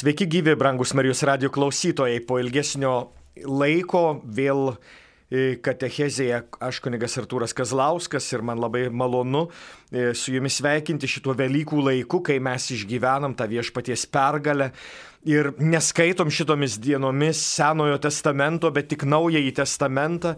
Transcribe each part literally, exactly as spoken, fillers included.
Sveiki gyvi, brangus Marijos radijo klausytojai. Po ilgesnio laiko vėl katechezėje aš kunigas Artūras Kazlauskas ir man labai malonu su jumis sveikinti šituo Velykų laiku, kai mes išgyvenam tą viešpaties pergalę ir neskaitom šitomis dienomis Senojo testamento, bet tik Naująjį testamentą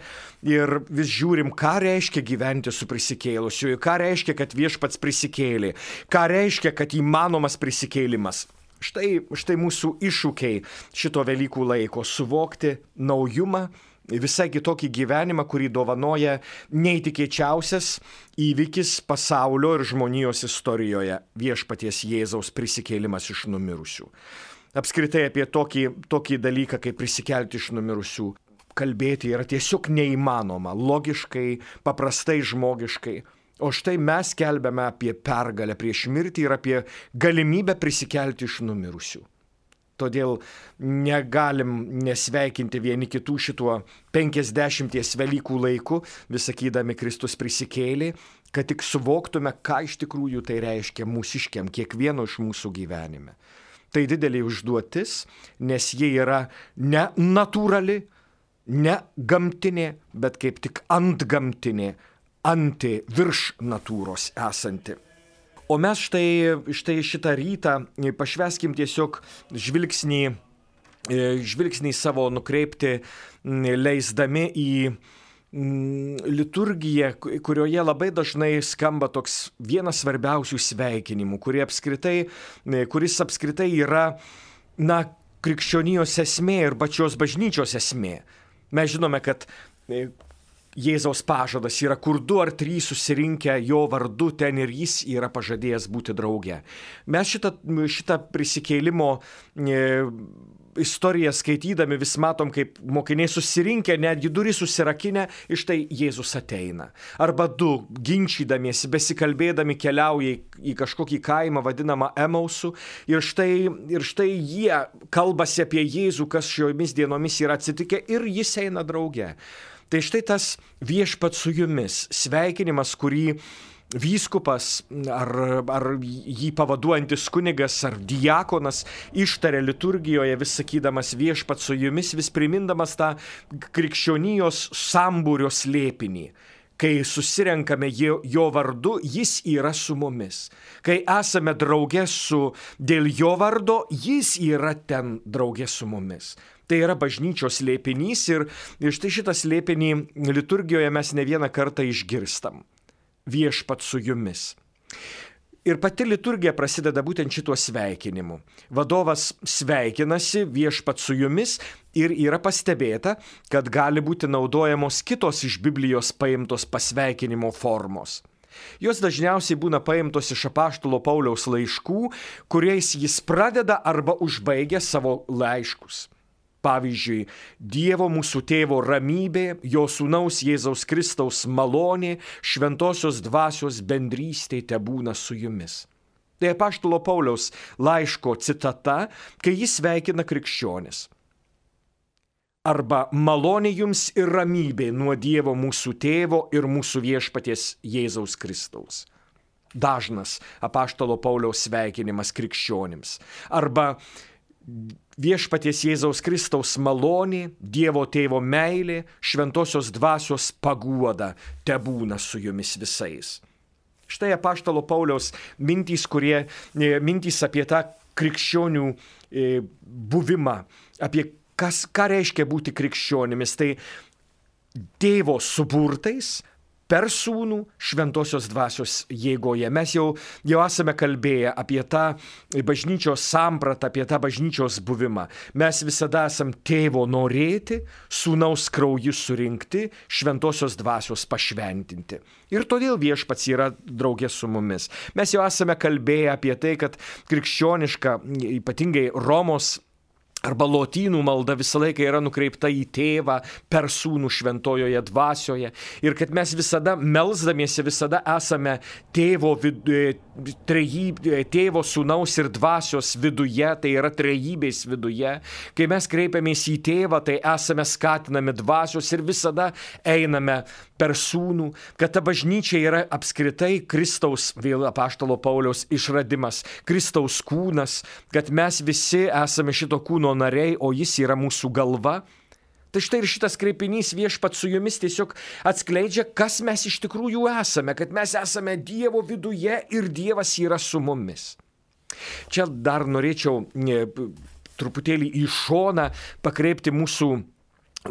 ir vis žiūrim, ką reiškia gyventi su prisikėlusiuoju, ką reiškia, kad viešpats prisikėlė, ką reiškia, kad įmanomas prisikėlimas. Štai, štai mūsų iššūkiai šito Velykų laiko - suvokti naujumą, visai kitokį gyvenimą, kurį dovanoja neįtikėčiausias įvykis pasaulio ir žmonijos istorijoje - viešpaties Jėzaus prisikėlimas iš numirusių. Apskritai apie tokį, tokį dalyką, kaip prisikelti iš numirusių, kalbėti yra tiesiog neįmanoma, logiškai, paprastai žmogiškai. O štai mes kelbėme apie pergalę prieš mirtį ir apie galimybę prisikelti iš numirusių. Todėl negalim nesveikinti vieni kitų šituo penkiasdešimties Velykų laiku, vis sakydami Kristus prisikėlė, kad tik suvoktume, ką iš tikrųjų tai reiškia mūsiškiam, kiekvieno iš mūsų gyvenime. Tai didelė užduotis, nes jie yra ne natūrali, ne gamtinė, bet kaip tik antgamtinė, anti virš natūros esanti. O mes štai, štai šitą rytą pašvęskim tiesiog žvilgsnį, žvilgsnį savo nukreipti, leisdami į liturgiją, kurioje labai dažnai skamba toks vienas svarbiausių sveikinimų, kurie apskritai, kuris apskritai yra, na, krikščionijos esmė ir pačios bažnyčios esmė. Mes žinome, kad Jėzaus pažadas yra, kur du ar trys susirinkę jo vardu, ten ir jis yra pažadėjęs būti drauge. Mes šitą, šitą prisikėlimo e, istoriją skaitydami vis matom, kaip mokiniai susirinkę, netgi duris susirakinę, iš tai Jėzus ateina. Arba du, ginčydamiesi, besikalbėdami keliauja į kažkokį kaimą vadinamą Emausu ir štai, ir štai jie kalbasi apie Jėzų, kas šiomis dienomis yra atsitikę ir jis eina drauge. Tai štai tas viešpats su jumis, sveikinimas, kurį vyskupas ar, ar jį pavaduojantis kunigas ar diakonas ištarė liturgijoje, vis sakydamas viešpats su jumis, vis primindamas tą krikščionijos sambūrio slėpinį. Kai susirenkame jo, jo vardu, jis yra su mumis. Kai esame drauge su dėl jo vardo, jis yra ten drauge su mumis. Tai yra bažnyčios slėpinys ir, ir štai šitą slėpinį liturgijoje mes ne vieną kartą išgirstam. Viešpats su jumis. Ir pati liturgija prasideda būtent šituo sveikinimu. Vadovas sveikinasi viešpats su jumis ir yra pastebėta, kad gali būti naudojamos kitos iš Biblijos paimtos pasveikinimo formos. Jos dažniausiai būna paimtos iš apaštalo Pauliaus laiškų, kuriais jis pradeda arba užbaigia savo laiškus. Pavyzdžiui, Dievo mūsų tėvo ramybė, jo sūnaus Jėzaus Kristaus malonė, šventosios dvasios bendrystė tebūna su jumis. Tai apaštalo Pauliaus laiško citata, kai jis sveikina krikščionis. Arba malonė jums ir ramybė nuo Dievo mūsų tėvo ir mūsų viešpaties Jėzaus Kristaus. Dažnas apaštalo Pauliaus sveikinimas krikščionims. Arba viešpaties Jėzaus Kristaus malonė, Dievo tėvo meilė, šventosios dvasios paguoda tebūna su jumis visais. Štai apaštalo Pauliaus mintys, kurie, mintys apie tą krikščionių buvimą, apie kas, ką reiškia būti krikščionimis. Tai tėvo suburtais per sūnų šventosios dvasios jėgoje. Mes jau, jau esame kalbėję apie tą bažnyčios sampratą, apie tą bažnyčios buvimą. Mes visada esam tėvo norėti, sūnaus krauju surinkti, šventosios dvasios pašventinti. Ir todėl viešpats yra draugė su mumis. Mes jau esame kalbėję apie tai, kad krikščioniška, ypatingai Romos arba lotynų malda visą laiką yra nukreipta į tėvą per sūnų šventojoje dvasioje. Ir kad mes visada melsdamiesi, visada esame tėvo, vid, trejyb, tėvo sūnaus ir dvasios viduje, tai yra trejybės viduje. Kai mes kreipiamės į tėvą, tai esame skatinami dvasios ir visada einame per sūnų, kad ta bažnyčia yra apskritai Kristaus, vėl apaštalo Pauliaus išradimas, Kristaus kūnas, kad mes visi esame šito kūno nariai, o jis yra mūsų galva. Tai štai ir šitas kreipinys viešpat su jumis tiesiog atskleidžia, kas mes iš tikrųjų esame, kad mes esame Dievo viduje ir Dievas yra su mumis. Čia dar norėčiau ne, truputėlį į šoną pakreipti mūsų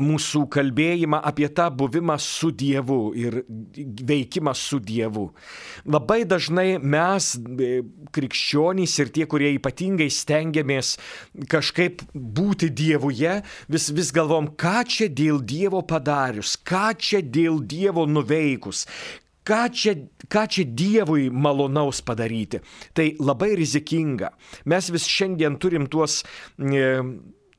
mūsų kalbėjimą apie tą buvimą su Dievu ir veikimą su Dievu. Labai dažnai mes, krikščionys ir tie, kurie ypatingai stengiamės kažkaip būti Dievuje, vis, vis galvom, ką čia dėl Dievo padarius, ką čia dėl Dievo nuveikus, ką čia, ką čia Dievui malonaus padaryti. Tai labai rizikinga. Mes vis šiandien turim tuos E,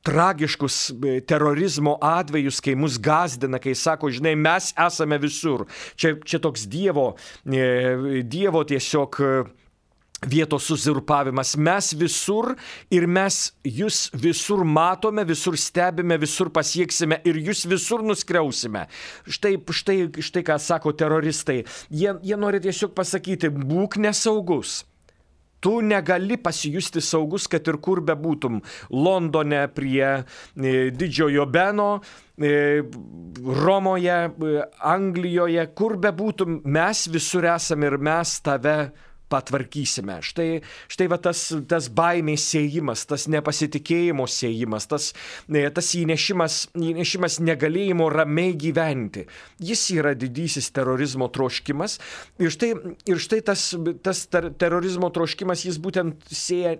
tragiškus terorizmo atvejus, kai mus gazdina, kai sako, žinai, mes esame visur. Čia, čia toks dievo, dievo tiesiog vietos uzurpavimas. Mes visur ir mes jūs visur matome, visur stebime, visur pasieksime ir jūs visur nuskriausime. Štai, štai, štai ką sako teroristai. Jie, jie nori tiesiog pasakyti, būk nesaugus. Tu negali pasijusti saugus, kad ir kur bebūtum. Londone prie e, Didžiojo Beno, e, Romoje, e, Anglijoje, kur bebūtum, mes visur esame ir mes tave patvarkysime. Štai, štai va tas, tas baimės sėjimas, tas nepasitikėjimo sėjimas, tas, tas įnešimas, įnešimas negalėjimo ramiai gyventi. Jis yra didysis terorizmo troškimas ir štai, ir štai tas, tas ter, terorizmo troškimas, jis būtent sėja,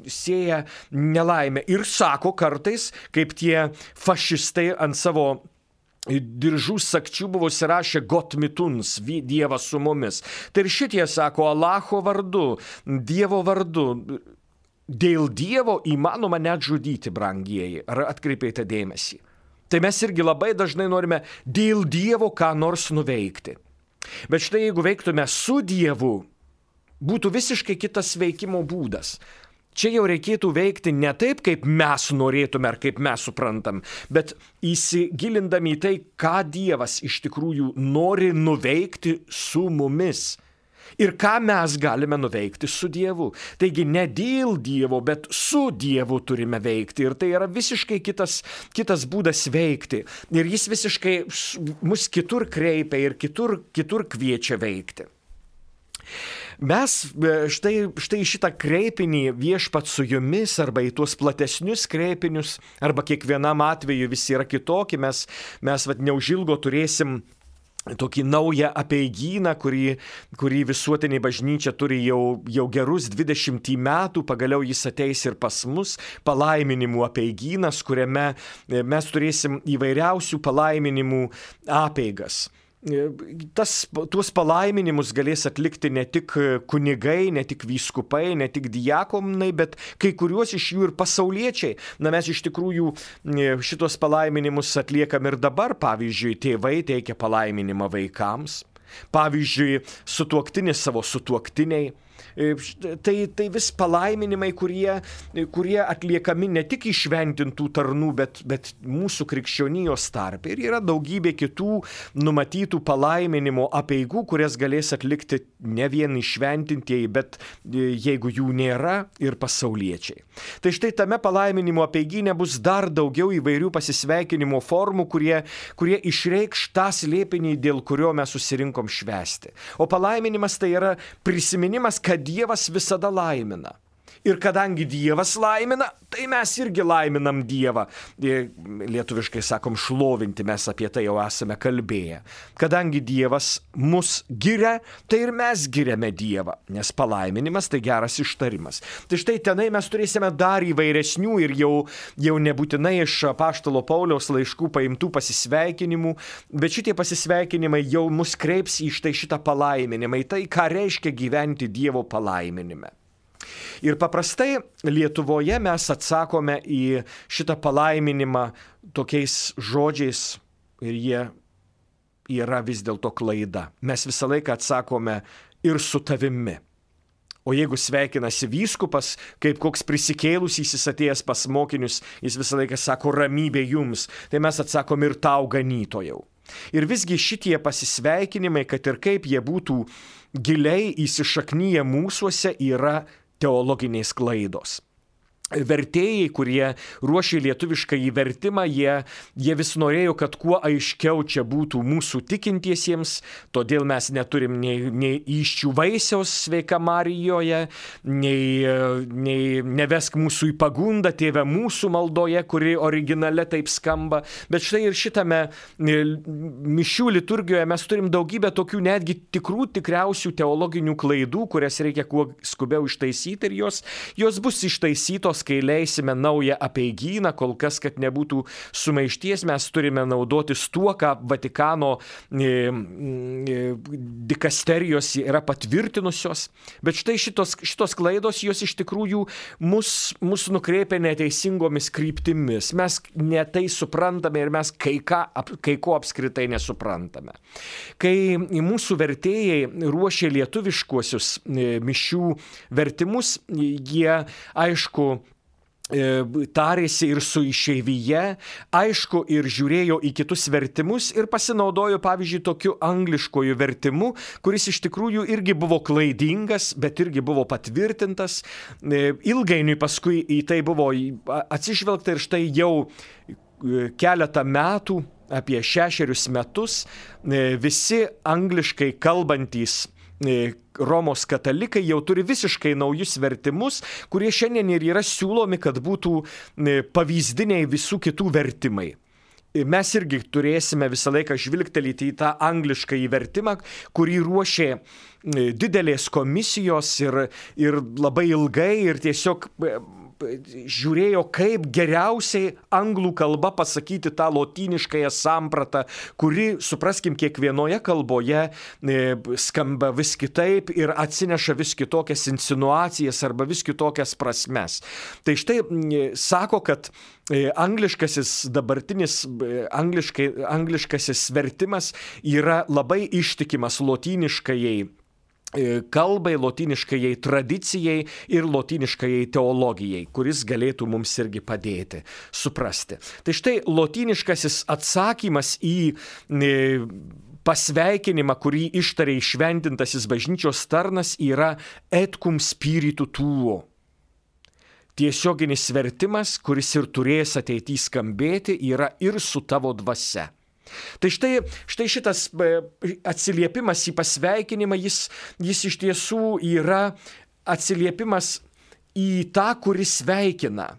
sėja nelaimę ir sako kartais, kaip tie fašistai ant savo diržų sakčių buvo įsirašę Gott mit uns, Dievas su mumis. Tai ir šitie sako Allaho vardu, Dievo vardu. Dėl Dievo įmanoma net žudyti, brangieji. Ar atkreipėte dėmesį? Tai mes irgi labai dažnai norime dėl Dievo ką nors nuveikti. Bet štai jeigu veiktume su Dievu, būtų visiškai kitas veikimo būdas. Čia jau reikėtų veikti ne taip, kaip mes norėtume ar kaip mes suprantam, bet įsigilindami į tai, ką Dievas iš tikrųjų nori nuveikti su mumis. Ir ką mes galime nuveikti su Dievu. Taigi ne dėl Dievo, bet su Dievu turime veikti. Ir tai yra visiškai kitas, kitas būdas veikti. Ir jis visiškai mus kitur kreipia ir kitur, kitur kviečia veikti. Mes štai, štai šitą kreipinį viešpat su jumis arba į tuos platesnius kreipinius, arba kiekvienam atveju visi yra kitokie, mes, mes vat, neužilgo turėsim tokį naują apeigyną, kurį, kurį visuotinė bažnyčia turi jau, jau gerus dvidešimt metų, pagaliau jis ateis ir pas mus, palaiminimų apeigynas, kuriame mes turėsim įvairiausių palaiminimų apeigas. Tas, tuos palaiminimus galės atlikti ne tik kunigai, ne tik vyskupai, ne tik diakonai, bet kai kuriuos iš jų ir pasauliečiai. Na, mes iš tikrųjų šitos palaiminimus atliekam ir dabar. Pavyzdžiui, tėvai teikia palaiminimą vaikams. Pavyzdžiui, sutuoktinis savo sutuoktiniai. Tai, tai vis palaiminimai, kurie, kurie atliekami ne tik išventintų tarnų, bet, bet mūsų krikščionijos tarpe. Ir yra daugybė kitų numatytų palaiminimo apeigų, kurias galės atlikti ne vien išventintieji, bet jeigu jų nėra, ir pasauliečiai. Tai štai tame palaiminimo apeigyne bus dar daugiau įvairių pasisveikinimo formų, kurie, kurie išreikš tą slėpinį, dėl kurio mes susirinkom švęsti. O palaiminimas tai yra prisiminimas, kad Dievas visada laimina. Ir kadangi Dievas laimina, tai mes irgi laiminam Dievą. Lietuviškai sakom šlovinti, mes apie tai jau esame kalbėję. Kadangi Dievas mus giria, tai ir mes giriame Dievą, nes palaiminimas tai geras ištarimas. Tai štai tenai mes turėsime dar įvairesnių ir jau, jau nebūtinai iš apaštalo Pauliaus laiškų paimtų pasisveikinimų, bet šitie pasisveikinimai jau mus kreips į štai šitą palaiminimą, į tai, ką reiškia gyventi Dievo palaiminime. Ir paprastai Lietuvoje mes atsakome į šitą palaiminimą tokiais žodžiais ir jie yra vis dėlto klaida. Mes visą laiką atsakome ir su tavimi. O jeigu sveikinasi vyskupas, kaip koks prisikėlusysis atėjęs pas mokinius, jis visą laiką sako ramybė jums, tai mes atsakom ir tau ganytojau. Ir visgi šitie pasisveikinimai, kad ir kaip jie būtų giliai įsišaknyję mūsuose, yra teologinės klaidos. Vertėjai, kurie ruošė lietuvišką įvertimą, jie, jie vis norėjo, kad kuo aiškiau čia būtų mūsų tikintiesiems, todėl mes neturim nei, nei įsčių vaisiaus sveika Marijoje, nei, nei nevesk mūsų į pagundą, tėve mūsų maldoje, kuri originale taip skamba. Bet štai ir šitame mišių liturgijoje mes turim daugybę tokių netgi tikrų, tikriausių teologinių klaidų, kurias reikia kuo skubiau ištaisyti ir jos, jos bus ištaisytos, kai leisime naują apeigyną, kol kas, kad nebūtų sumaišties, mes turime naudotis tuo, ką Vatikano e, e, dikasterijos yra patvirtinusios. Bet štai šitos, šitos klaidos, jos iš tikrųjų mus, mus nukreipia neteisingomis kryptimis. Mes ne tai suprantame ir mes kai, ką, kai ko apskritai nesuprantame. Kai mūsų vertėjai ruošė lietuviškuosius e, mišių vertimus, jie, aišku, tarėsi ir su išeivija, aišku, ir žiūrėjo į kitus vertimus ir pasinaudojo, pavyzdžiui, tokiu angliškoju vertimu, kuris iš tikrųjų irgi buvo klaidingas, bet irgi buvo patvirtintas. Ilgainiui paskui į tai buvo atsižvelgta ir štai jau keletą metų, apie šešerius metus, visi angliškai kalbantys Romos katalikai jau turi visiškai naujus vertimus, kurie šiandien ir yra siūlomi, kad būtų pavyzdiniai visų kitų vertimai. Mes irgi turėsime visą laiką žvilgtelėti į tą anglišką įvertimą, kurį ruošė didelės komisijos ir, ir labai ilgai ir tiesiog žiūrėjo, kaip geriausiai anglų kalba pasakyti tą lotyniškąją sampratą, kuri, supraskim, kiekvienoje kalboje skamba vis kitaip ir atsineša vis kitokias insinuacijas arba vis kitokias prasmes. Tai štai sako, kad angliškasis dabartinis angliškai, angliškasis vertimas yra labai ištikimas lotyniškajai kalbai, lotyniškajai tradicijai ir lotyniškajai teologijai, kuris galėtų mums irgi padėti suprasti. Tai štai lotyniškasis atsakymas į pasveikinimą, kurį ištarė įšventintasis bažnyčios tarnas, yra et cum spiritu tuo. Tiesioginis vertimas, kuris ir turės ateityje skambėti, yra ir su tavo dvasia. Tai štai, štai šitas atsiliepimas į pasveikinimą, jis, jis iš tiesų yra atsiliepimas į tą, kuris sveikina.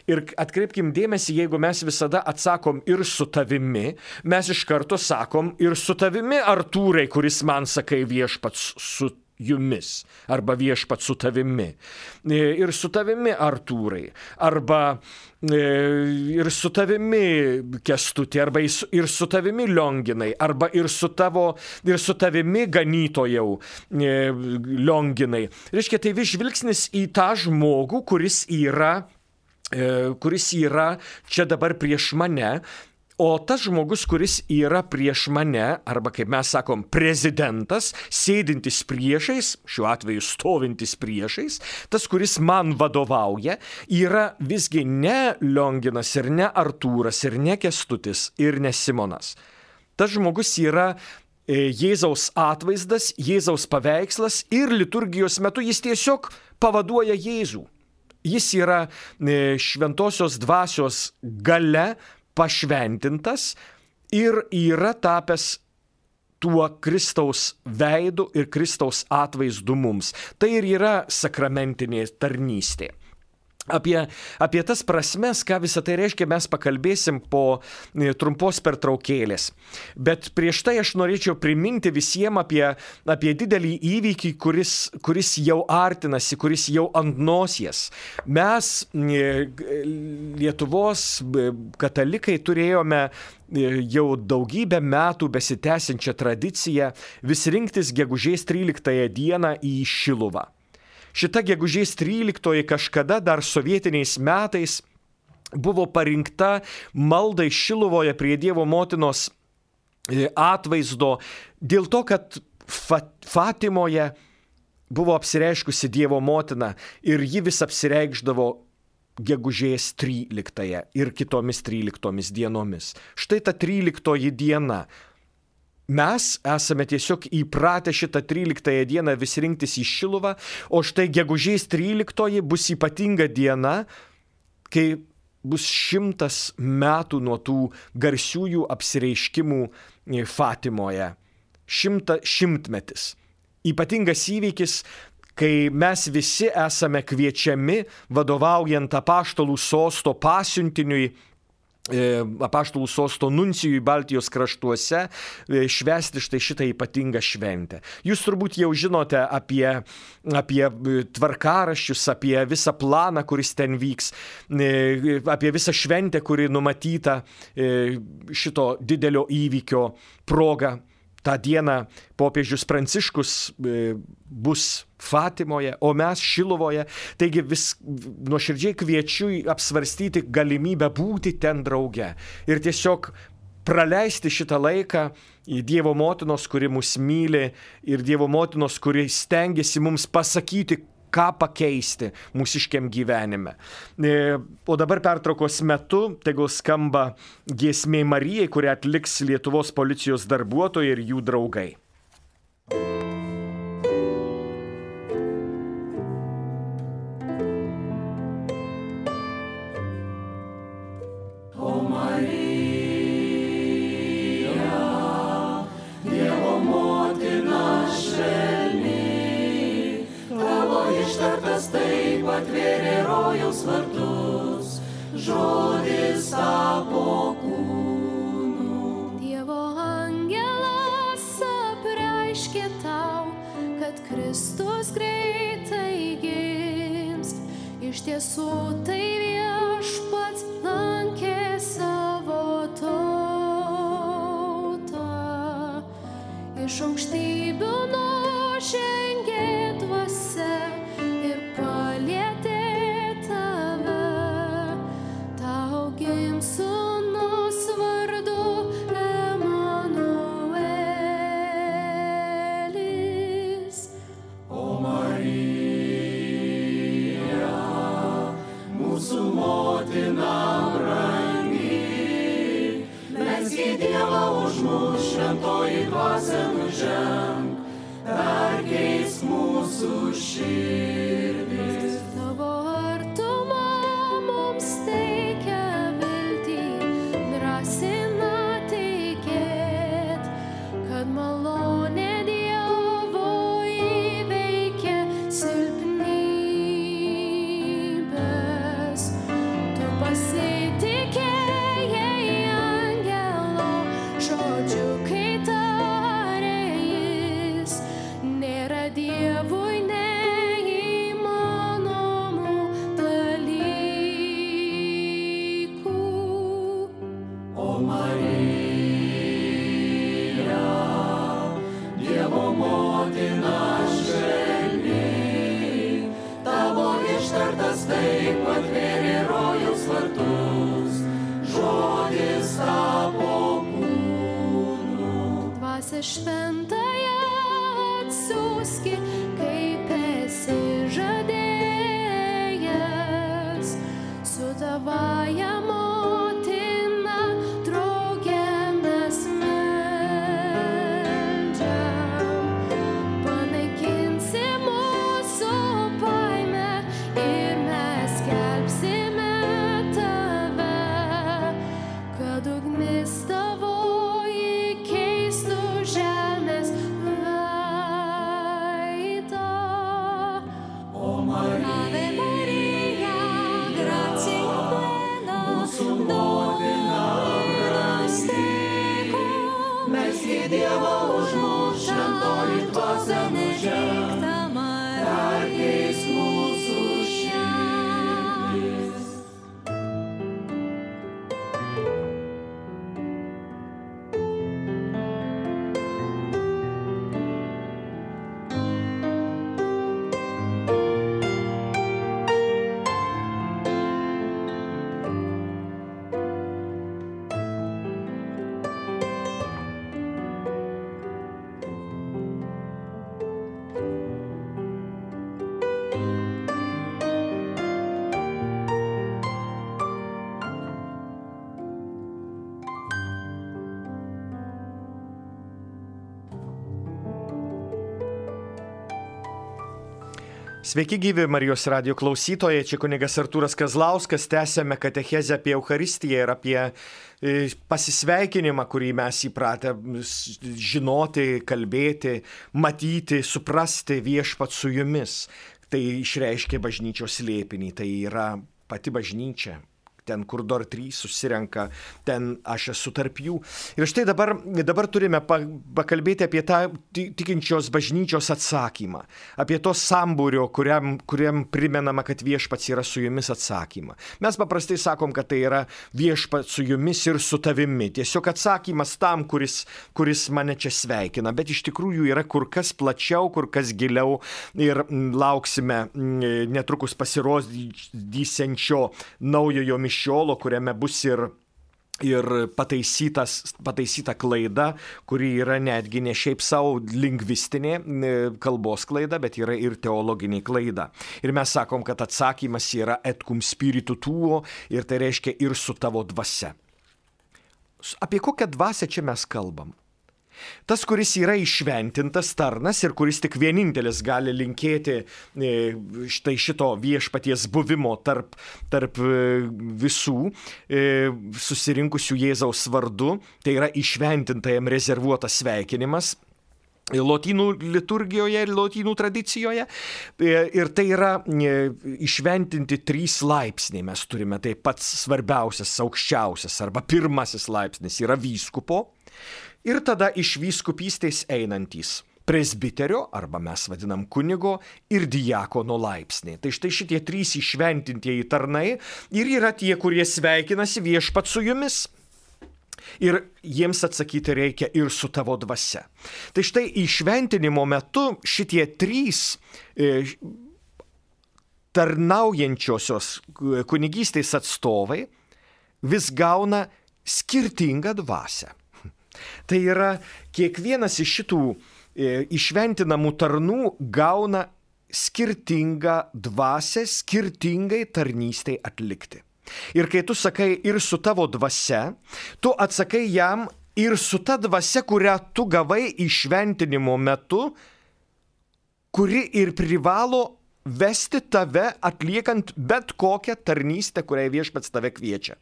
Ir atkreipkim dėmesį, jeigu mes visada atsakom ir su tavimi, mes iš karto sakom ir su tavimi, Artūrai, kuris man sakai viešpats su jumis, arba viešpat su tavimi, ir su tavimi, Artūrai, arba ir su tavimi, Kęstuti, arba ir su tavimi, Lionginai, arba ir su tavo, ir su tavimi, ganytojau, Lionginai. Reiškia, tai vis žvilgsnis į tą žmogų, kuris yra, kuris yra čia dabar prieš mane. O tas žmogus, kuris yra prieš mane, arba kaip mes sakom, prezidentas, sėdintis priešais, šiuo atveju stovintis priešais, tas, kuris man vadovauja, yra visgi ne Lionginas ir ne Artūras ir ne Kęstutis ir ne Simonas. Tas žmogus yra Jėzaus atvaizdas, Jėzaus paveikslas ir liturgijos metu jis tiesiog pavaduoja Jėzų. Jis yra šventosios dvasios galia pašventintas ir yra tapęs tuo Kristaus veidu ir Kristaus atvaizdu mums. Tai ir yra sakramentinė tarnystė. Apie, apie tas prasmes, ką visą tai reiškia, mes pakalbėsim po trumpos pertraukėlės. Bet prieš tai aš norėčiau priminti visiems apie, apie didelį įvykį, kuris, kuris jau artinasi, kuris jau ant nosies. Mes, Lietuvos katalikai, turėjome jau daugybę metų besitęsiančią tradiciją vis rinktis gegužės tryliktąją dieną į Šiluvą. šita gegužės tryliktoji kažkada dar sovietiniais metais buvo parinkta maldai Šiluvoje prie Dievo motinos atvaizdo dėl to, kad Fatimoje buvo apsireiškusi Dievo motina ir ji vis apsireikšdavo gegužės tryliktąją ir kitomis tryliktomis dienomis. Štai ta tryliktoji diena. Mes esame tiesiog įpratę šitą tryliktąją dieną vis rinktis į Šiluvą, o štai gegužės tryliktoji bus ypatinga diena, kai bus šimtas metų nuo tų garsiųjų apsireiškimų Fatimoje. Šimta, šimtmetis. Ypatingas įvykis, kai mes visi esame kviečiami, vadovaujant apaštalų sosto pasiuntiniui, apaštalų sosto nuncijui Baltijos kraštuose, švęsti štai šitą ypatingą šventę. Jūs turbūt jau žinote apie, apie tvarkaraščius, apie visą planą, kuris ten vyks, apie visą šventę, kuri numatyta šito didelio įvykio proga. Ta diena popiežius Pranciškus bus Fatimoje, o mes Šiluvoje. Taigi vis nuoširdžiai kviečiu apsvarstyti galimybę būti ten drauge ir tiesiog praleisti šitą laiką į Dievo motinos, kuri mus myli, ir Dievo motinos, kuri stengiasi mums pasakyti, ką pakeisti mūsiškiam gyvenime. O dabar pertraukos metu tegul skamba giesmė Marijai, kurią atliks Lietuvos policijos darbuotojai ir jų draugai. Atvėrė rojaus vartus, žodis tapo kūnu. Dievo angelas apreiškė tau, kad Kristus greitai gims. Iš tiesų tai viešpats lankė savo tautą. Iš aukštybių nužengė dvasia ir palietė tave. Tau gims sūnus vardu Emanuelis. O Marija, mūsų motina brangi, melski Dievą už mus, šventoji dvasia nuženk, perkeisk mūsų širdis. Tavo artuma mums teikia viltį, drąsina tikėt, kad malonė Dievo įveikia silpnybes. Tu pasitikėjai angelo žodžiu, kai tarė jis, nėra Dievui neįmanomų dalykų. O Marija, Dievo motina švelni, tavo ištartas taip atvėrė rojaus vartus, žodis tapo kūnu. Dvasia šventąją atsiųski, kaip esi žadėjęs, su tavąja motina drauge mes meldžiam. Panaikinsi mūsų baimę ir mes skelbsime tave, kad ugnis tavoji keistų žemės veidą. O Marija, Ave Maria, gratia plena, Sveiki gyvi Marijos radijo klausytojai, čia kunigas Artūras Kazlauskas, tęsiame katechezę apie Eucharistiją ir apie pasisveikinimą, kurį mes įpratę žinoti, kalbėti, matyti, suprasti viešpat su jumis. Tai išreiškia bažnyčios slėpinį, tai yra pati bažnyčia. Ten, kur dar trys susirenka, ten aš esu tarp jų. Ir štai dabar, dabar turime pakalbėti apie tą tikinčios bažnyčios atsakymą, apie to sambūrio, kuriam, kuriam primenama, kad viešpats yra su jumis atsakymą. Mes paprastai sakom, kad tai yra viešpats su jumis ir su tavimi. Tiesiog atsakymas tam, kuris, kuris mane čia sveikina, bet iš tikrųjų yra kur kas plačiau, kur kas giliau ir lauksime netrukus pasirodysiančio naujojo mišiolo, kuriame bus ir, ir pataisyta klaida, kuri yra netgi ne šiaip savo lingvistinė kalbos klaida, bet yra ir teologinė klaida. Ir mes sakom, kad atsakymas yra et cum spiritu tuo, ir tai reiškia ir su tavo dvasia. Apie kokią dvasią čia mes kalbam? Tas, kuris yra išventintas tarnas ir kuris tik vienintelis gali linkėti štai šito viešpaties buvimo tarp, tarp visų susirinkusių Jėzaus vardu, tai yra išventintajam rezervuotas sveikinimas lotynų liturgijoje ir lotynų tradicijoje. Ir tai yra išventinti trys laipsniai. Mes turime tai pats svarbiausias, aukščiausias arba pirmasis laipsnis yra vyskupo. Ir tada iš vyskupystės einantys presbiterio, arba mes vadinam kunigo, ir diakono laipsniai. Tai štai šitie trys išventintieji tarnai ir yra tie, kurie sveikinasi viešpat su jumis. Ir jiems atsakyti reikia ir su tavo dvasia. Tai štai išventinimo metu šitie trys e, tarnaujančiosios kunigystės atstovai vis gauna skirtingą dvasią. Tai yra, kiekvienas iš šitų e, išventinamų tarnų gauna skirtingą dvasią, skirtingai tarnystei atlikti. Ir kai tu sakai ir su tavo dvasia, tu atsakai jam ir su ta dvasia, kurią tu gavai išventinimo metu, kuri ir privalo vesti tave atliekant bet kokią tarnystę, kurią viešpats tave kviečia.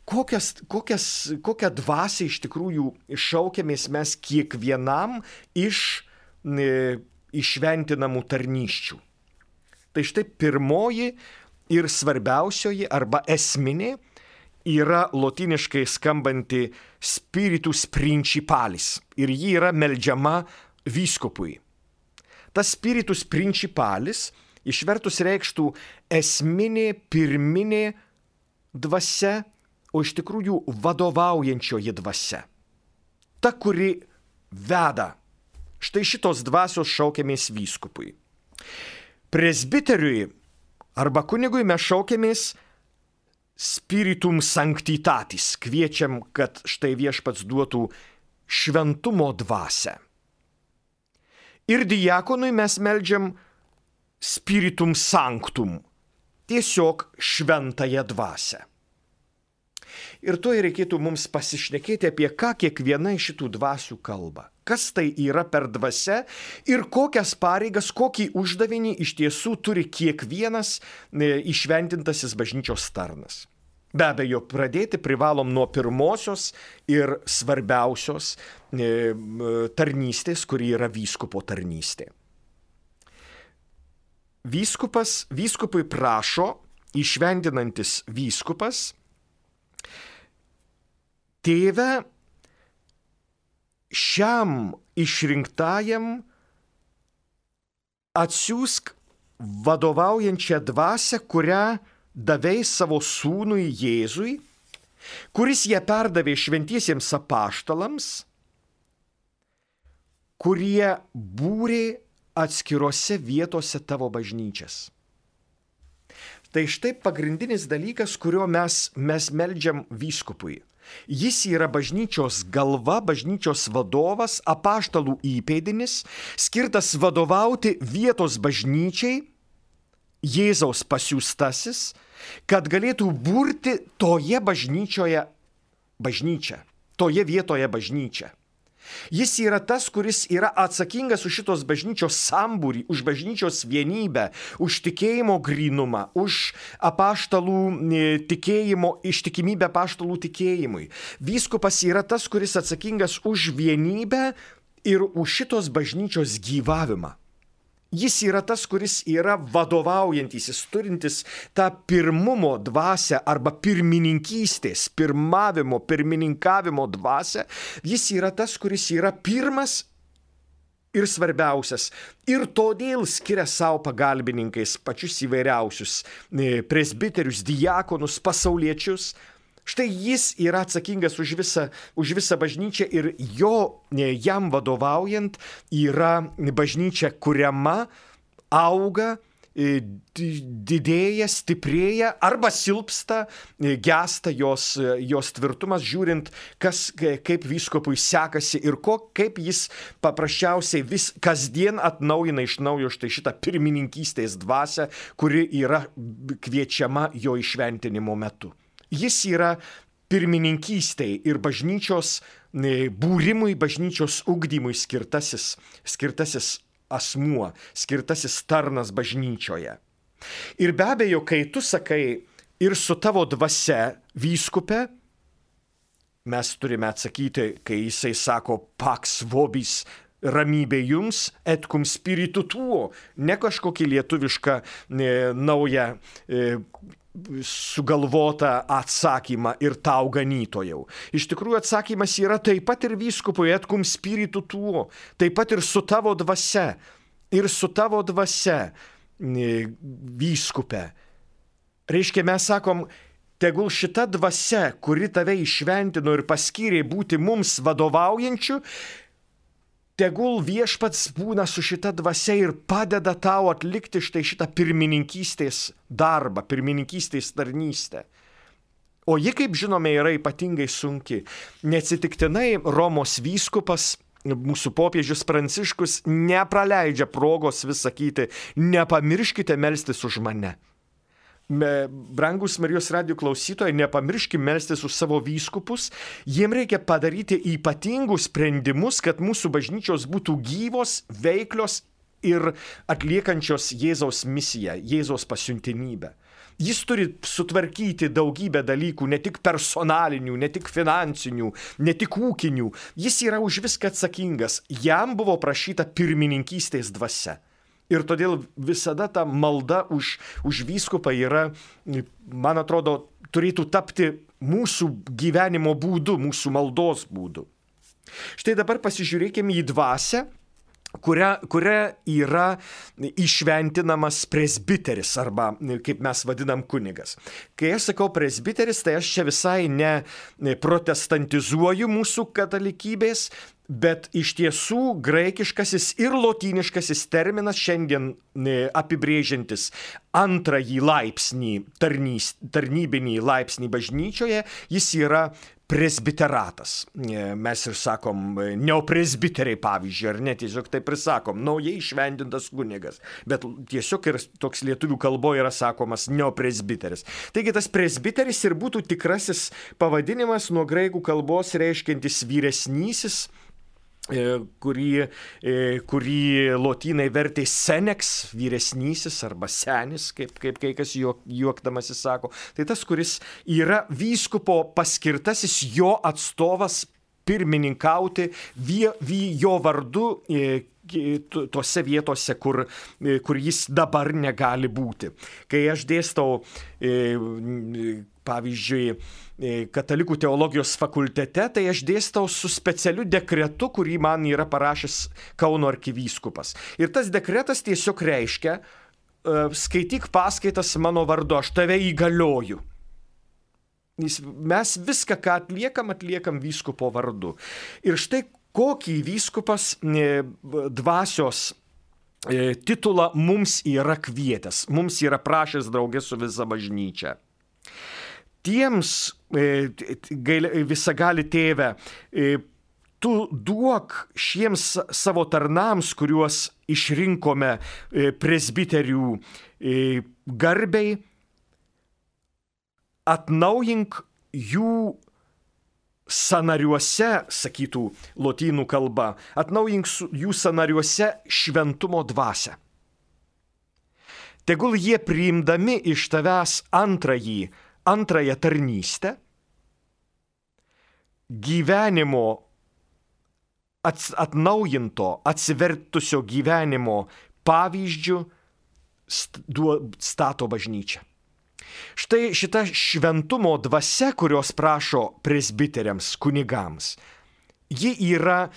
Kokias, kokias, kokią dvasią iš tikrųjų šaukiamės mes kiekvienam iš e, išventinamų tarnysčių. Tai štai pirmoji ir svarbiausioji arba esminė yra lotyniškai skambanti spiritus principalis ir ji yra meldžiama vyskupui. Tas spiritus principalis išvertus reikštų esminė, pirminė dvasia, o iš tikrųjų vadovaujančioji dvasia. Ta, kuri veda. Štai šitos dvasios šaukiamės vyskupui. Presbiteriui arba kunigui mes šaukiamės spiritum sanctitatis. Kviečiam, kad štai viešpats duotų šventumo dvasią. Ir diakonui mes meldžiam spiritum sanctum. Tiesiog šventąją dvasią. Ir to reikėtų mums pasišnekėti apie ką kiekviena iš šitų dvasių kalba. Kas tai yra per dvasia ir kokias pareigas, kokį uždavinį iš tiesų turi kiekvienas išventintasis bažnyčios tarnas. Be abejo, pradėti privalom nuo pirmosios ir svarbiausios tarnystės, kuri yra vyskupo tarnystė. Vyskupas, vyskupui prašo, išventinantis vyskupas, tėve, šiam išrinktajam atsiųsk vadovaujančią dvasią, kurią davei savo sūnui Jėzui, kuris ją perdavė šventiesiems apaštalams, kurie būrė atskirose vietose tavo bažnyčias. Tai štai pagrindinis dalykas, kurio mes, mes meldžiam vyskupui. Jis yra bažnyčios galva, bažnyčios vadovas, apaštalų įpėdinis, skirtas vadovauti vietos bažnyčiai, Jėzaus pasiųstasis, kad galėtų burti toje bažnyčioje bažnyčią, toje vietoje bažnyčią. Jis yra tas, kuris yra atsakingas už šitos bažnyčios sambūrį, už bažnyčios vienybę, už tikėjimo grynumą, už apaštalų tikėjimo, ištikimybę apaštalų tikėjimui. Vyskupas yra tas, kuris atsakingas už vienybę ir už šitos bažnyčios gyvavimą. Jis yra tas, kuris yra vadovaujantis, turintis tą pirmumo dvasią arba pirmininkystės, pirmavimo, pirmininkavimo dvasią. Jis yra tas, kuris yra pirmas ir svarbiausias. Ir todėl skiria savo pagalbininkais pačius įvairiausius presbiterius, diakonus, pasauliečius. Štai jis yra atsakingas už visą, už visą bažnyčią ir jo, jam vadovaujant yra bažnyčia kuriama, auga, didėja, stiprėja arba silpsta, gęsta jos, jos tvirtumas, žiūrint, kas, kaip vyskupui sekasi ir ko, kaip jis paprasčiausiai vis kasdien atnaujina iš naujo štai šitą pirmininkystės dvasią, kuri yra kviečiama jo įšventinimo metu. Jis yra pirmininkystei ir bažnyčios būrimui, bažnyčios ugdymui skirtasis, skirtasis asmuo, skirtasis tarnas bažnyčioje. Ir be abejo, kai tu sakai ir su tavo dvasia vyskupe, mes turime atsakyti, kai jisai sako pax vobis, ramybė jums, et cum spiritu tuo, ne kažkokį lietuvišką e, naują e, sugalvotą atsakymą ir tau ganytojau. Iš tikrųjų atsakymas yra taip pat ir vyskupui, et cum spiritu tuo, taip pat ir su tavo dvasia, ir su tavo dvasia vyskupe. Reiškia, mes sakom, tegul šita dvasia, kuri tave išventino ir paskyrė būti mums vadovaujančių, tegul viešpats būna su šita dvasia ir padeda tau atlikti štai šitą pirmininkystės darbą, pirmininkystės tarnystę. O ji, kaip žinome, yra ypatingai sunki. Neatsitiktinai Romos vyskupas, mūsų popiežius Pranciškus, nepraleidžia progos vis sakyti, nepamirškite melstis už mane. Brangus Marijos radijo klausytojai, nepamirškime melstis už savo vyskupus, jiem reikia padaryti ypatingus sprendimus, kad mūsų bažnyčios būtų gyvos, veiklios ir atliekančios Jėzaus misiją, Jėzaus pasiuntinybę. Jis turi sutvarkyti daugybę dalykų, ne tik personalinių, ne tik finansinių, ne tik ūkinių. Jis yra už viską atsakingas. Jam buvo prašyta pirmininkystės dvasia. Ir todėl visada ta malda už, už vyskupą yra, man atrodo, turėtų tapti mūsų gyvenimo būdu, mūsų maldos būdu. Štai dabar pasižiūrėkime į dvasią, kuria, kuria yra išventinamas presbiteris arba, kaip mes vadinam, kunigas. Kai aš sakau presbiteris, tai aš čia visai ne protestantizuoju mūsų katalikybės, bet iš tiesų graikiškasis ir lotyniškasis terminas šiandien apibrėžiantis antrąjį laipsnį, tarnys, tarnybinį laipsnį bažnyčioje, jis yra presbiteratas. Mes ir sakom neopresbiteriai, pavyzdžiui, ar ne, tiesiog taip ir sakom, naujai išventintas kunigas, bet tiesiog ir toks lietuvių kalboje yra sakomas neopresbiteris. Taigi tas presbiteris ir būtų tikrasis pavadinimas nuo graikų kalbos reiškiantis vyresnysis, kurį, kurį lotynai vertė seneks, vyresnysis arba senis, kaip, kaip kai kas juok, juokdamasis sako. Tai tas, kuris yra vyskupo paskirtasis jo atstovas pirmininkauti vie, vie, jo vardu tose vietose, kur, kur jis dabar negali būti. Kai aš dėstau, pavyzdžiui, katalikų teologijos fakultete, tai aš dėstau su specialiu dekretu, kurį man yra parašęs Kauno arkivyskupas. Ir tas dekretas tiesiog reiškia, skaityk paskaitas mano vardu, aš tave įgalioju. Mes viską, ką atliekam, atliekam vyskupo vardu. Ir štai kokį vyskupas dvasios titulą mums yra kvietęs, mums yra prašęs draugė su visa bažnyčia. Tiems, visagali tėve, tu duok šiems savo tarnams, kuriuos išrinkome presbiterių garbei, atnaujink jų sanariuose, sakytų lotynų kalba, atnaujink jų sanariuose šventumo dvasią. Tegul jie priimdami iš tavęs antrąjį, antrąją tarnystę, gyvenimo atnaujinto, atsivertusio gyvenimo pavyzdžių stato bažnyčią. Štai šita šventumo dvasia, kurios prašo presbiteriams, kunigams, ji yra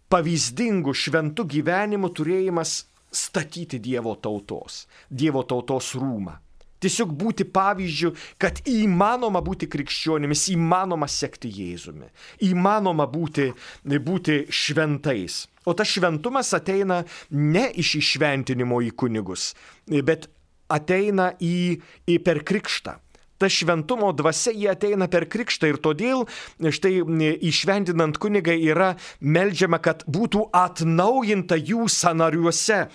pavyzdingų šventų gyvenimų turėjimas statyti Dievo tautos, Dievo tautos rūmą. Tiesiog būti pavyzdžių, kad įmanoma būti krikščionimis, įmanoma sekti Jėzumi, įmanoma būti, būti šventais. O tas šventumas ateina ne iš įšventinimo į kunigus, bet ateina į, į per krikštą. Ta šventumo dvasia jie ateina per krikštą ir todėl štai įšventinant kunigą yra meldžiama, kad būtų atnaujinta jų sanariuose.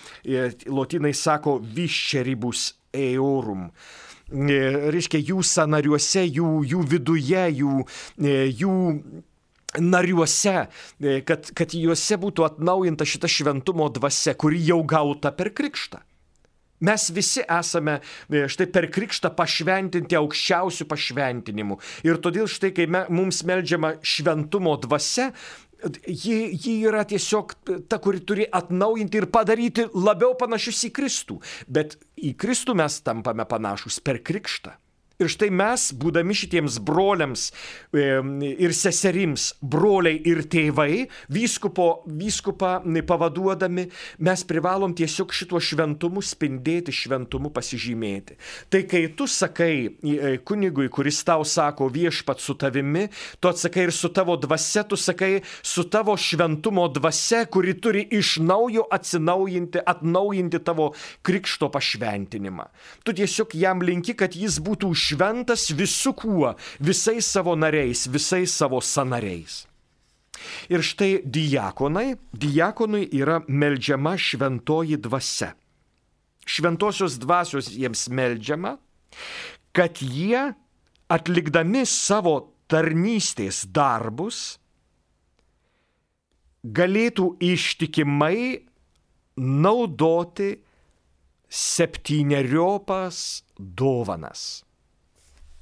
Lotynai sako visceribus eorum. Reiškia jų sanariuose, jų, jų viduje, jų, jų nariuose, kad, kad juose būtų atnaujinta šita šventumo dvasia, kuri jau gauta per krikštą. Mes visi esame štai per krikštą pašventinti aukščiausių pašventinimų. Ir todėl štai, kai me, mums meldžiama šventumo dvasia, ji, ji yra tiesiog ta, kuri turi atnaujinti ir padaryti labiau panašius į Kristų. Bet į Kristų mes tampame panašus per krikštą. Ir štai mes, būdami šitiems broliams ir seserims, broliai ir tėvai, vyskupo, vyskupą pavaduodami, mes privalom tiesiog šituo šventumu spindėti, šventumu pasižymėti. Tai kai tu sakai kunigui, kuris tau sako viešpat su tavimi, tu atsakai ir su tavo dvasia, tu sakai su tavo šventumo dvasia, kuri turi iš naujo atsinaujinti, atnaujinti tavo krikšto pašventinimą. Tu tiesiog jam linki, kad jis būtų šventas visų kuo, visais savo nariais, visais savo sanariais. Ir štai diakonai, diakonui yra meldžiama šventoji dvasia. Šventosios dvasios jiems meldžiama, kad jie atlikdami savo tarnystės darbus galėtų ištikimai naudoti septyneriopos dovanas.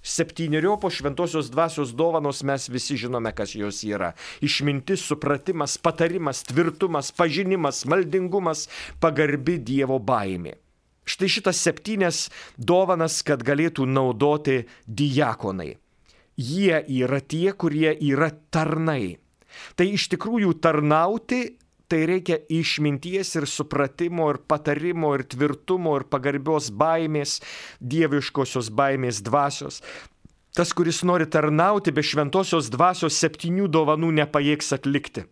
Septyneriopos šventosios dvasios dovanos mes visi žinome, kas jos yra. Išmintis, supratimas, patarimas, tvirtumas, pažinimas, maldingumas, pagarbi Dievo baimė. Štai šitas septynias dovanas, kad galėtų naudoti diakonai. Jie yra tie, kurie yra tarnai. Tai iš tikrųjų tarnauti, tai reikia išminties ir supratimo ir patarimo ir tvirtumo ir pagarbios baimės, dieviškosios baimės dvasios. Tas, kuris nori tarnauti be šventosios dvasios septynių dovanų nepajėgs atlikti.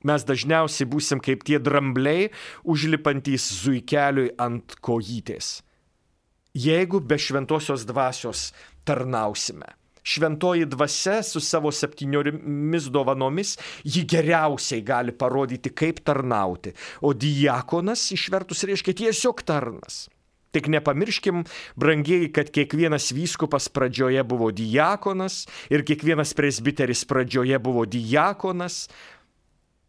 Mes dažniausiai būsim kaip tie drambliai, užlipantys zuikeliui ant kojytės. Jeigu be šventosios dvasios tarnausime. Šventoji dvasia su savo septyniomis dovanomis, ji geriausiai gali parodyti, kaip tarnauti. O diakonas išvertus reiškia tiesiog tarnas. Tik nepamirškim, brangieji, kad kiekvienas vyskupas pradžioje buvo diakonas ir kiekvienas presbiteris pradžioje buvo diakonas.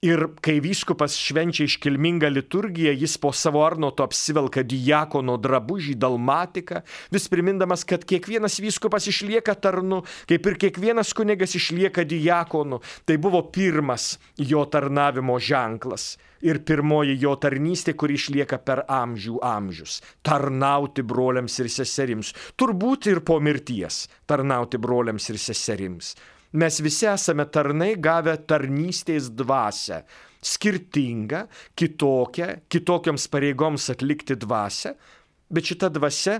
Ir kai vyskupas švenčia iškilmingą liturgiją, jis po savo arnoto apsivelka diakono drabužį dalmatiką, vis primindamas, kad kiekvienas vyskupas išlieka tarnu, kaip ir kiekvienas kunigas išlieka diakonu. Tai buvo pirmas jo tarnavimo ženklas ir pirmoji jo tarnystė, kuri išlieka per amžių amžius. Tarnauti broliams ir seserims. Turbūt ir po mirties tarnauti broliams ir seserims. Mes visi esame tarnai gavę tarnystės dvasią, skirtingą, kitokią, kitokioms pareigoms atlikti dvasią, bet šita dvasia,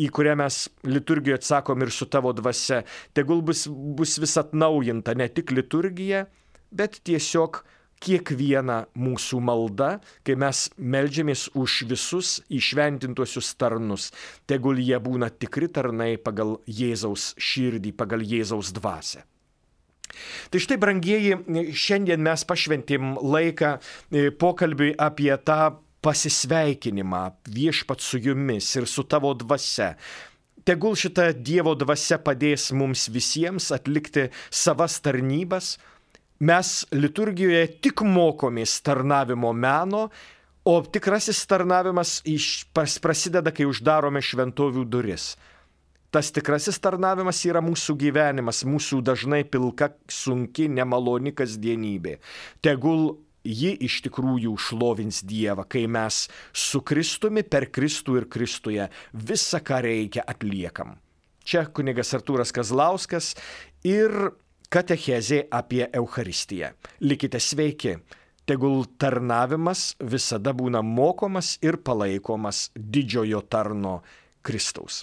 į kurią mes liturgijoje atsakom ir su tavo dvasia, tegul bus, bus vis atnaujinta ne tik liturgija, bet tiesiog kiekviena mūsų malda, kai mes meldžiamės už visus įšventintuosius tarnus, tegul jie būna tikri tarnai pagal Jėzaus širdį, pagal Jėzaus dvasią. Tai štai, brangieji, šiandien mes pašventėm laiką pokalbiui apie tą pasisveikinimą viešpat su jumis ir su tavo dvasia. tegul šita Dievo dvasia padės mums visiems atlikti savas tarnybas. Mes liturgijoje tik mokomės tarnavimo meno, o tikrasis tarnavimas iš, prasideda, kai uždarome šventovių duris. Tas tikrasis tarnavimas yra mūsų gyvenimas, mūsų dažnai pilka, sunki, nemaloni kasdienybė. Tegul ji iš tikrųjų šlovins Dievą, kai mes su Kristumi, per Kristų ir Kristuje visą, ką reikia, atliekam. Čia kunigas Artūras Kazlauskas ir katechezė apie Eucharistiją. Likite sveiki. Tegul tarnavimas visada būna mokomas ir palaikomas didžiojo tarno Kristaus.